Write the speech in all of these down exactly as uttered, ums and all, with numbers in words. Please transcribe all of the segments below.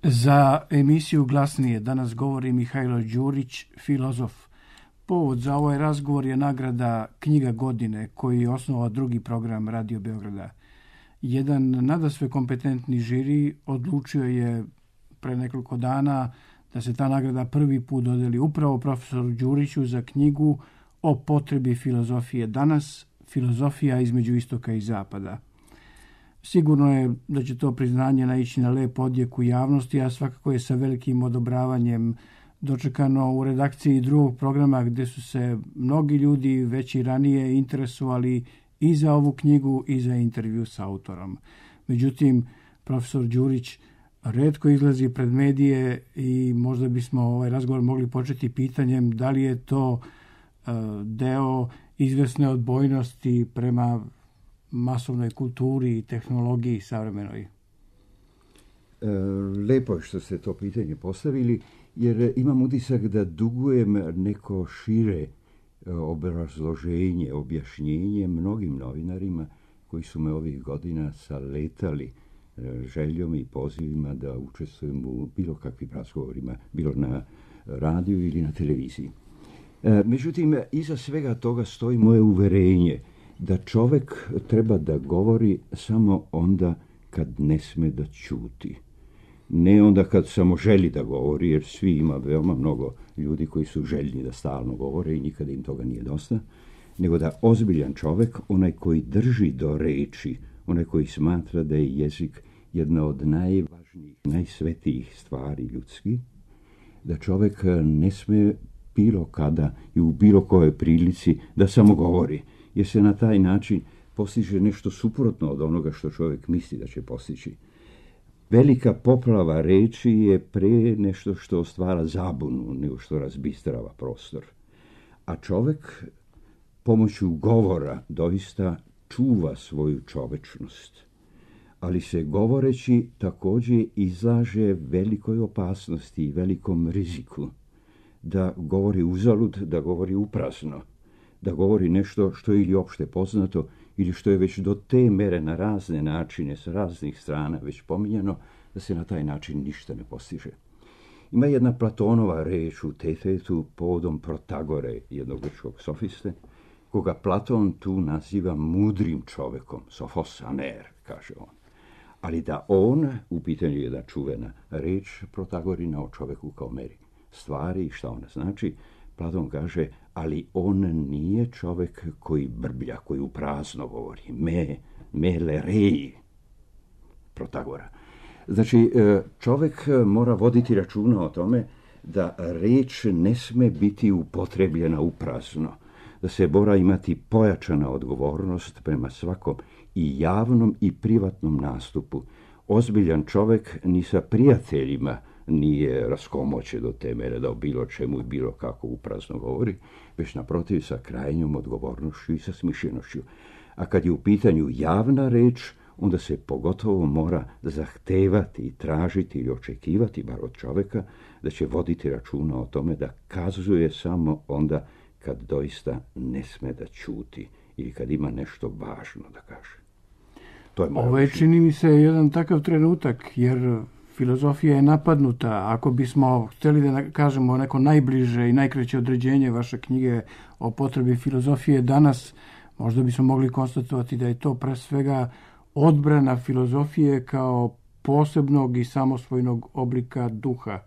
Za emisiju Glasnije danas govori Mihajlo Đurić, filozof. Povod za ovaj razgovor je nagrada Knjiga godine koju je osnovao drugi program Radio Beograda. Jedan nadasve kompetentni žiri odlučio je pre nekoliko dana da se ta nagrada prvi put dodeli upravo profesoru Đuriću za knjigu o potrebi filozofije danas, filozofija između istoka i zapada. Sigurno je da će to priznanje naići na lep odjek u javnosti, a svakako je sa velikim odobravanjem dočekano u redakciji drugog programa gdje su se mnogi ljudi već i ranije interesovali i za ovu knjigu i za intervju s autorom. Međutim, profesor Đurić retko izlazi pred medije i možda bismo ovaj razgovor mogli početi pitanjem da li je to uh, deo izvesne odbojnosti prema masovnoj kulturi i tehnologiji savremenoj. E, lepo je što ste to pitanje postavili, jer imam utisak da dugujem neko šire obrazloženje, objašnjenje mnogim novinarima koji su me ovih godina saletali željom i pozivima da učestvujem u bilo kakvim razgovorima, bilo na radiju ili na televiziji. E, međutim, iza svega toga stoji moje uverenje da čovjek treba da govori samo onda kad ne sme da ćuti. Ne onda kad samo želi da govori, jer svi ima veoma mnogo ljudi koji su željni da stalno govore i nikada im toga nije dosta, nego da ozbiljan čovjek, onaj koji drži do reči, onaj koji smatra da je jezik jedna od najvažnijih, najsvetijih stvari ljudskih, da čovjek ne sme bilo kada i u bilo kojoj prilici da samo govori, jer se na taj način postiže nešto suprotno od onoga što čovjek misli da će postići. Velika poplava reči je pre nešto što stvara zabunu, nego što razbistrava prostor. A čovjek pomoću govora doista čuva svoju čovečnost, ali se govoreći također izlaže velikoj opasnosti i velikom riziku. Da govori uzalud, da govori uprazno, da govori nešto što je ili opšte poznato ili što je već do te mere na razne načine, s raznih strana već pominjano, da se na taj način ništa ne postiže. Ima jedna Platonova reč u Tetetu povodom Protagore, jednog grčkog sofiste, koga Platon tu naziva mudrim čovekom, sofos aner, kaže on. Ali da on, u pitanju jedna čuvena reč Protagorina o čoveku kao meri stvari i šta ona znači, Platon kaže, ali on nije čovjek koji brblja, koji u prazno govori. Me, me lerei, Protagora. Znači, čovjek mora voditi računa o tome da reč ne sme biti upotrebljena u prazno, da se mora imati pojačana odgovornost prema svakom i javnom i privatnom nastupu. Ozbiljan čovjek ni sa prijateljima nije raskomoće do te mere da o bilo čemu i bilo kako uprazno govori, već naprotiv sa krajnjom odgovornošću i sa smišljenošću. A kad je u pitanju javna reč, onda se pogotovo mora zahtevati i tražiti ili očekivati, bar od čovjeka, da će voditi računa o tome da kazuje samo onda kad doista ne sme da ćuti ili kad ima nešto važno da kaže. To je Ovo je, čini mi se, jedan takav trenutak, jer filozofija je napadnuta. Ako bismo htjeli da kažemo neko najbliže i najkraće određenje vaše knjige o potrebi filozofije danas, možda bismo mogli konstatovati da je to pre svega odbrana filozofije kao posebnog i samosvojnog oblika duha.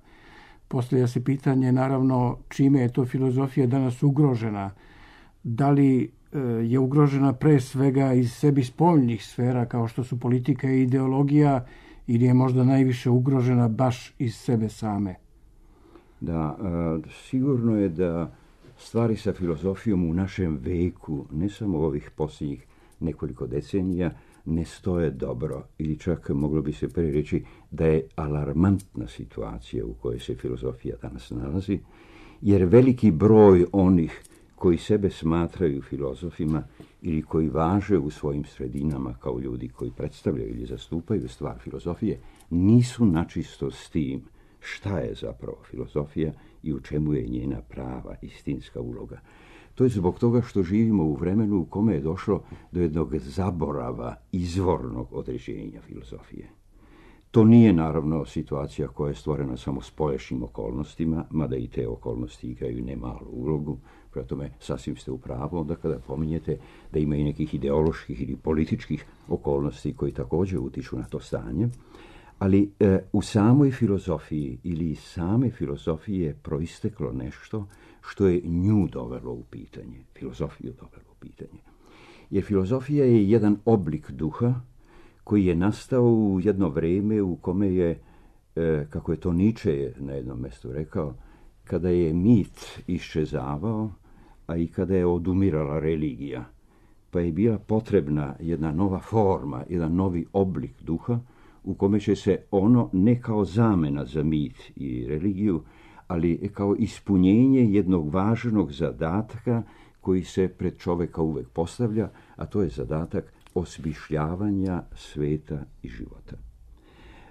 Postavlja se pitanje, naravno, čime je to filozofija danas ugrožena. Da li je ugrožena pre svega iz sebi spoljnih sfera kao što su politika i ideologija, ili je možda najviše ugrožena baš iz sebe same? Da, sigurno je da stvari sa filozofijom u našem veku, ne samo ovih posljednjih nekoliko decenija, ne stoje dobro, ili čak moglo bi se prije reći da je alarmantna situacija u kojoj se filozofija danas nalazi, jer veliki broj onih koji sebe smatraju filozofima ili koji važe u svojim sredinama kao ljudi koji predstavljaju ili zastupaju stvar filozofije, nisu načisto s tim šta je zapravo filozofija i u čemu je njena prava, istinska uloga. To je zbog toga što živimo u vremenu u kome je došlo do jednog zaborava izvornog određenja filozofije. To nije naravno situacija koja je stvorena samo spoljašnjim okolnostima, mada i te okolnosti igraju nemalu ulogu. Prema tome, sasvim ste u pravu onda kada pominjete da ima i nekih ideoloških ili političkih okolnosti koji također utiču na to stanje. Ali e, u samoj filozofiji ili iz same filozofije je proisteklo nešto što je nju dovelo u pitanje, filozofiju dovelo u pitanje. Jer filozofija je jedan oblik duha koji je nastao u jedno vrijeme u kome je, e, kako je to Nietzsche na jednom mjestu rekao, kada je mit iščezavao, a i kada je odumirala religija, pa je bila potrebna jedna nova forma, jedan novi oblik duha, u kome će se ono ne kao zamena za mit i religiju, ali kao ispunjenje jednog važnog zadatka koji se pred čovjeka uvek postavlja, a to je zadatak osmišljavanja sveta i života.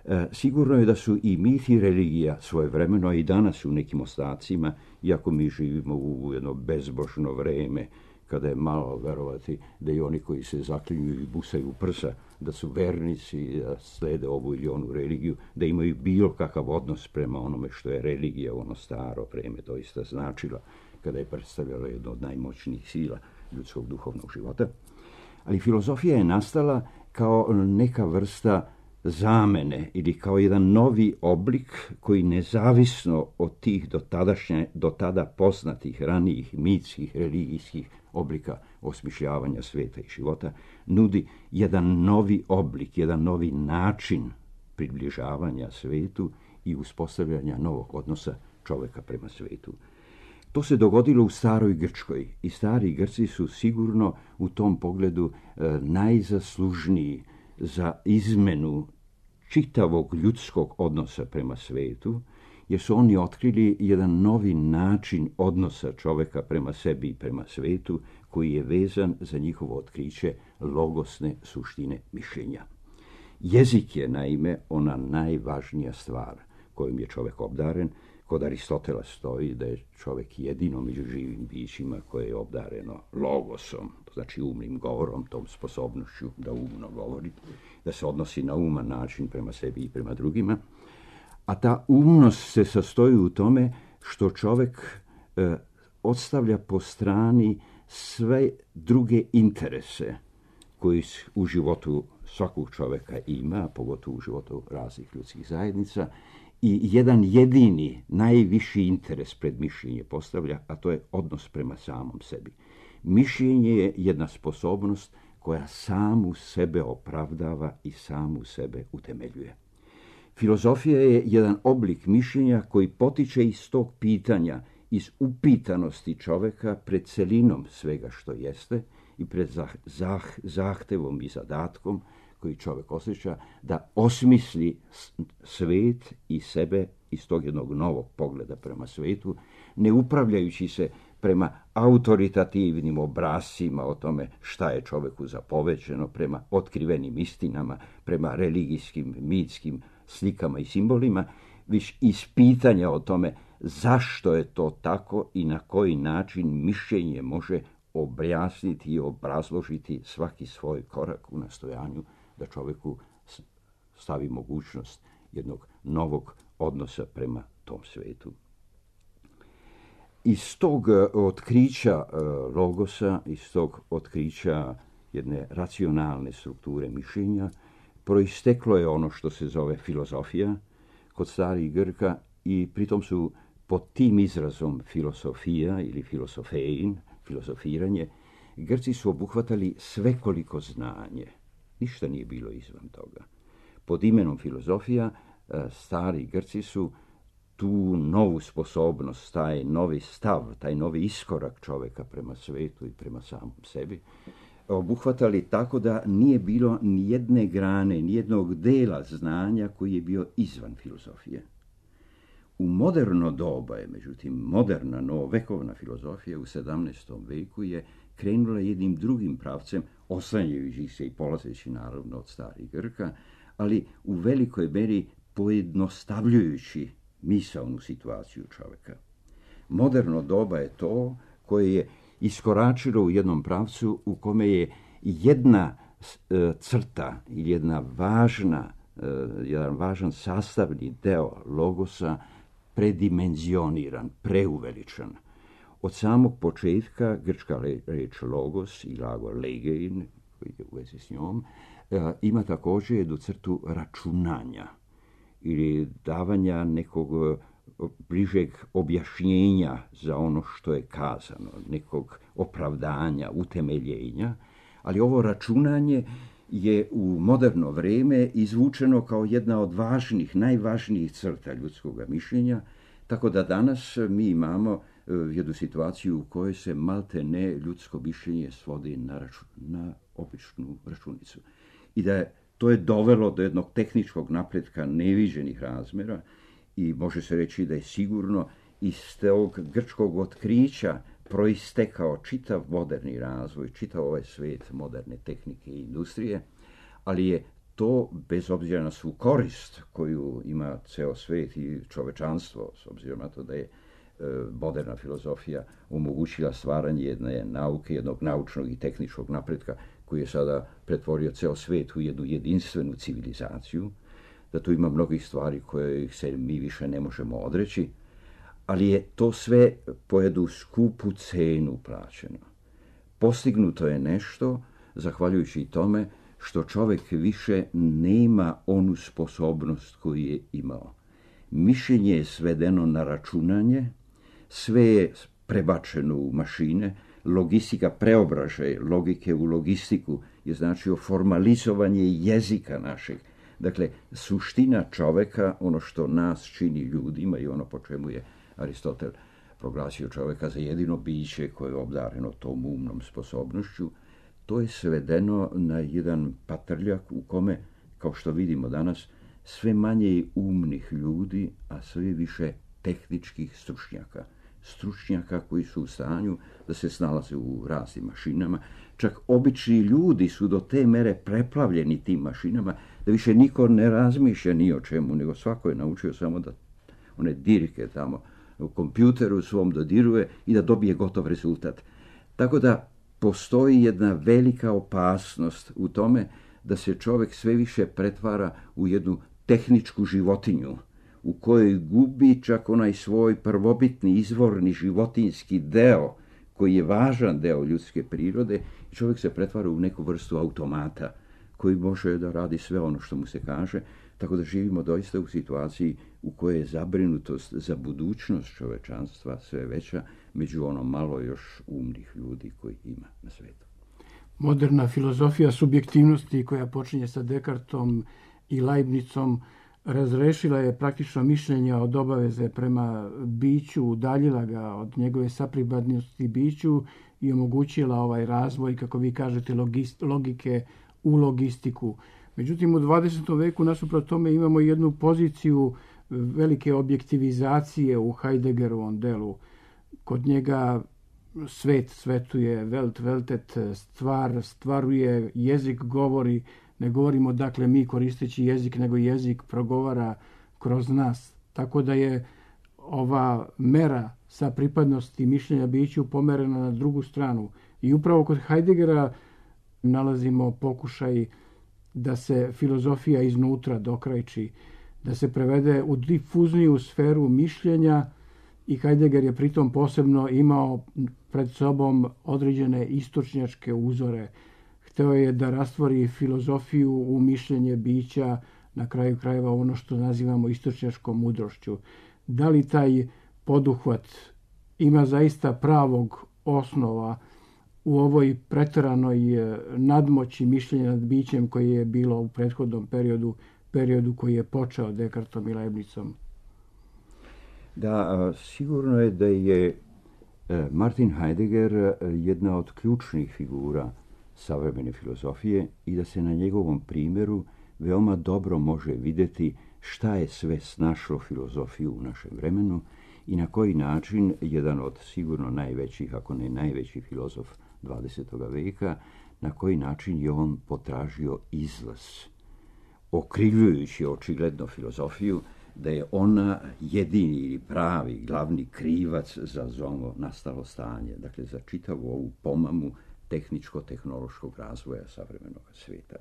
E, sigurno je da su i mit i religija svojevremeno, a i danas u nekim ostacima, iako mi živimo u jedno bezbožno vreme, kada je malo verovati da i oni koji se zaklinju i busaju u prsa, da su vernici, da slede ovu ili onu religiju, da imaju bilo kakav odnos prema onome što je religija u ono staro vreme doista značila, kada je predstavljala jedno od najmoćnijih sila ljudskog duhovnog života. Ali filozofija je nastala kao neka vrsta zamene ili kao jedan novi oblik koji nezavisno od tih do, tadašnje, do tada poznatih ranijih mitskih, religijskih oblika osmišljavanja sveta i života nudi jedan novi oblik, jedan novi način približavanja svetu i uspostavljanja novog odnosa čovjeka prema svetu. To se dogodilo u staroj Grčkoj i stari Grci su sigurno u tom pogledu e, najzaslužniji za izmenu čitavog ljudskog odnosa prema svetu, jer su oni otkrili jedan novi način odnosa čovjeka prema sebi i prema svetu, koji je vezan za njihovo otkriće logosne suštine mišljenja. Jezik je, naime, ona najvažnija stvar kojom je čovjek obdaren. Kod Aristotela stoji da je čovjek jedino među živim bićima koje je obdareno logosom, to znači umnim govorom, tom sposobnošću da umno govori, da se odnosi na uman način prema sebi i prema drugima. A ta umnost se sastoji u tome što čovjek e, odstavlja po strani sve druge interese koji u životu svakog čovjeka ima, pogotovo u životu raznih ljudskih zajednica, i jedan jedini, najviši interes pred mišljenje postavlja, a to je odnos prema samom sebi. Mišljenje je jedna sposobnost koja samu sebe opravdava i samu sebe utemeljuje. Filozofija je jedan oblik mišljenja koji potiče iz tog pitanja, iz upitanosti čovjeka pred celinom svega što jeste i pred zah, zah, zahtevom i zadatkom koji čovjek osjeća da osmisli svet i sebe iz tog jednog novog pogleda prema svetu, ne upravljajući se prema autoritativnim obrascima o tome šta je čovjeku zapovećeno, prema otkrivenim istinama, prema religijskim, mitskim slikama i simbolima, već iz pitanja o tome zašto je to tako i na koji način mišljenje može objasniti i obrazložiti svaki svoj korak u nastojanju da čovjeku stavi mogućnost jednog novog odnosa prema tom svetu. Iz tog otkrića logosa, iz tog otkrića jedne racionalne strukture mišljenja, proisteklo je ono što se zove filozofija kod starih Grka i pritom su pod tim izrazom filosofija ili filosofein, filozofiranje, Grci su obuhvatali svekoliko znanje. Ništa nije bilo izvan toga. Pod imenom filozofija stari Grci su tu novu sposobnost, taj novi stav, taj novi iskorak čovjeka prema svetu i prema samom sebi obuhvatali tako da nije bilo ni jedne grane, ni jednog dela znanja koji je bio izvan filozofije. U moderno doba je, međutim, moderna novovekovna filozofija u sedamnaestom veku je krenula jednim drugim pravcem, oslanjajući se i polazeći naravno od starih Grka, ali u velikoj meri pojednostavljujući misaonu situaciju čovjeka. Moderno doba je to koje je iskoračilo u jednom pravcu u kome je jedna e, crta ili jedna važna jedan važan sastavni deo logosa predimenzioniran, preuveličan. Od samog početka grčka reč logos i glagol legein, koji je u vezi s njom, ima također jednu crtu računanja ili davanja nekog bližeg objašnjenja za ono što je kazano, nekog opravdanja, utemeljenja, ali ovo računanje je u moderno vrijeme izvučeno kao jedna od važnih, najvažnijih crta ljudskog mišljenja, tako da danas mi imamo jednu situaciju u kojoj se malte ne ljudsko mišljenje svodi na, račun, na običnu računicu. I da je, to je dovelo do jednog tehničkog napretka neviđenih razmjera i može se reći da je sigurno iz tog grčkog otkrića proistekao čitav moderni razvoj, čitav ovaj svijet moderne tehnike i industrije, ali je to, bez obzira na svu korist koju ima ceo svijet i čovečanstvo, s obzirom na to da je e, moderna filozofija omogućila stvaranje jedne nauke, jednog naučnog i tehničkog napretka koji je sada pretvorio ceo svijet u jednu jedinstvenu civilizaciju, da tu ima mnogih stvari koje se mi više ne možemo odreći, ali je to sve po jednu skupu cenu plaćeno. Postignuto je nešto, zahvaljujući tome, što čovjek više nema onu sposobnost koju je imao. Mišljenje je svedeno na računanje, sve je prebačeno u mašine, logistika preobražaj logike u logistiku je značio formalizovanje jezika našeg. Dakle, suština čovjeka, ono što nas čini ljudima i ono po čemu je Aristotel proglasio čovjeka za jedino biće koje je obdareno tom umnom sposobnošću, to je svedeno na jedan patrljak u kome, kao što vidimo danas, sve manje umnih ljudi, a sve više tehničkih stručnjaka. Stručnjaka koji su u stanju da se snalaze u raznim mašinama. Čak obični ljudi su do te mere preplavljeni tim mašinama da više niko ne razmišlja ni o čemu, nego svako je naučio samo da one dirke tamo u kompjuteru svom dodiruje i da dobije gotov rezultat. Tako da postoji jedna velika opasnost u tome da se čovjek sve više pretvara u jednu tehničku životinju, u kojoj gubi čak onaj svoj prvobitni, izvorni životinjski deo, koji je važan deo ljudske prirode, i čovjek se pretvara u neku vrstu automata, koji može da radi sve ono što mu se kaže, tako da živimo doista u situaciji u kojoj je zabrinutost za budućnost čovečanstva sve veća među ono malo još umnih ljudi koji ima na svijetu. Moderna filozofija subjektivnosti koja počinje sa Descartom i Leibnicom razrešila je praktično mišljenje od obaveze prema biću, udaljila ga od njegove sapripadnosti biću i omogućila ovaj razvoj, kako vi kažete, logist, logike u logistiku. Međutim, u dvadesetom veku nasuprot tome imamo jednu poziciju velike objektivizacije u Heideggerovom delu. Kod njega svet svetuje, Welt weltet, stvar stvaruje, jezik govori, ne govorimo dakle mi koristeći jezik, nego jezik progovara kroz nas. Tako da je ova mera sa pripadnosti mišljenja biću pomerena na drugu stranu. I upravo kod Heideggera nalazimo pokušaj da se filozofija iznutra dokrajči, da se prevede u difuzniju sferu mišljenja, i Heidegger je pritom posebno imao pred sobom određene istočnjačke uzore. Hteo je da rastvori filozofiju u mišljenje bića, na kraju krajeva ono što nazivamo istočnjačkom mudrošću. Da li taj poduhvat ima zaista pravog osnova u ovoj preteranoj nadmoći mišljenja nad bićem koje je bilo u prethodnom periodu, periodu koji je počeo Descartom i Leibnicom? Da, sigurno je da je Martin Heidegger jedna od ključnih figura savremene filozofije i da se na njegovom primjeru veoma dobro može vidjeti šta je sve snašlo filozofiju u našem vremenu i na koji način jedan od sigurno najvećih, ako ne najveći filozof dvadesetog veka, na koji način je on potražio izlaz, okrivljujući očigledno filozofiju da je ona jedini ili pravi, glavni krivac za ono nastalo stanje, dakle za čitavu ovu pomamu tehničko-tehnološkog razvoja savremenog svijeta.